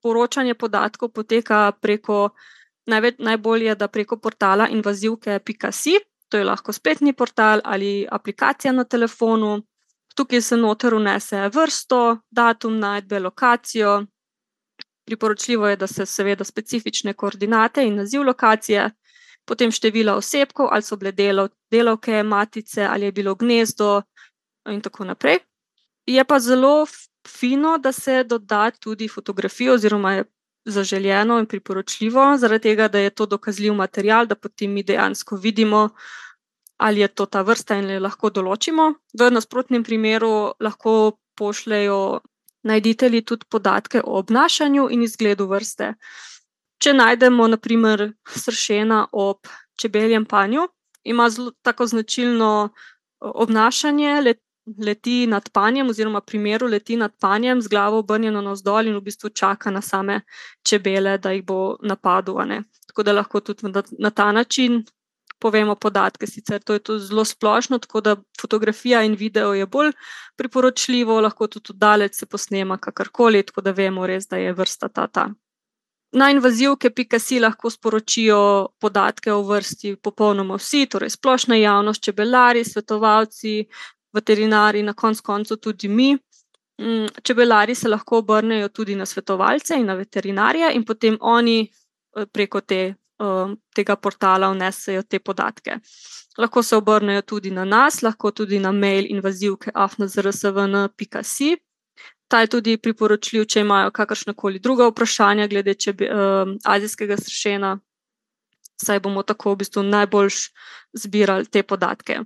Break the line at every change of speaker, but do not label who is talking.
poročanje podatkov poteka najbolje, da preko portala invazivke.si, to je lahko spletni portal ali aplikacija na telefonu. Tukaj se noter vnese vrsto, datum najdbe, lokacijo. Priporočljivo je, da se seveda specifične koordinate in naziv lokacije, potem števila osebkov, ali so bile delavke, matice, ali je bilo gnezdo in tako naprej. Je pa zelo fino, da se doda tudi fotografijo oziroma je zaželjeno in priporočljivo, zaradi tega, da je to dokazljiv material, da potem mi dejansko vidimo, ali je to ta vrsta in jo lahko določimo. V nasprotnem primeru lahko pošljejo najditelji tudi podatke o obnašanju in izgledu vrste. Če najdemo, na primer, sršena ob čebeljem panju, ima zelo tako značilno obnašanje, leti nad panjem oziroma primeru leti nad panjem z glavo obrnjeno navzdol in v bistvu čaka na same čebele, da jih bo napadel, ne. Tako da lahko tudi na ta način povemo podatke, sicer to je to zelo splošno, tako da fotografija in video je bolj priporočljivo, lahko tudi oddaleč se posnema kakorkoli, tako da vemo res, da je vrsta ta. Na invazivke.si lahko sporočijo podatke o vrsti popolnoma vsi, torej splošna javnost, čebelari, svetovalci, veterinari, na koncu tudi mi. Čebelari se lahko obrnejo tudi na svetovalce in na veterinarje in potem oni preko tega portala vnesejo te podatke. Lahko se obrnejo tudi na nas, lahko tudi na mail invazivke@zrsvn.si. Ta je tudi priporočljiv, če imajo kakršnakoli druga vprašanja glede azijskega sršena, saj bomo tako v bistvu najboljš zbirali te podatke.